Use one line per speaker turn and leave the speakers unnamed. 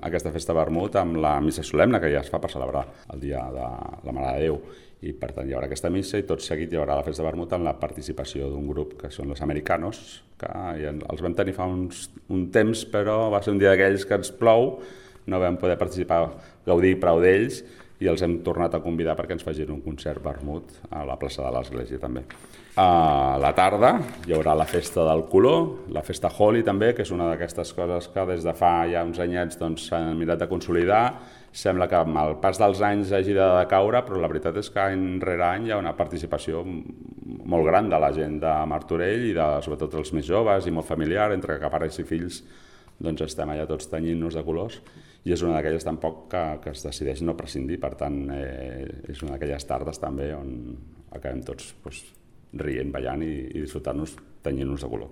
aquesta festa vermut amb la missa solemne que ja es fa per celebrar el dia de la Mare de Déu. I per tant hi haurà aquesta missa i tot seguit hi haurà la festa vermut amb la participació d'un grup que són los Americanos, que ja els vam tenir fa un temps, però va ser un dia d'aquells que ens plou, no vam poder participar, gaudir prou d'ells, i els hem tornat a convidar perquè ens facin un concert vermut a la plaça de l'Església també. A la tarda hi haurà la festa del color, la festa Holi també, que és una d'aquestes coses que des de fa ja uns anyets s'han mirat de consolidar. Sembla que amb el pas dels anys hagi de decaure, però la veritat és que any rere any hi ha una participació molt gran de la gent de Martorell i sobretot els més joves i molt familiar, entre que pares i fills estem allà tots tenyint-nos de colors, i és una d'aquelles tampoc que es decideix no prescindir. Per tant, és una d'aquelles tardes també on acabem tots rient, ballant i disfrutant-nos tenyint-nos de color.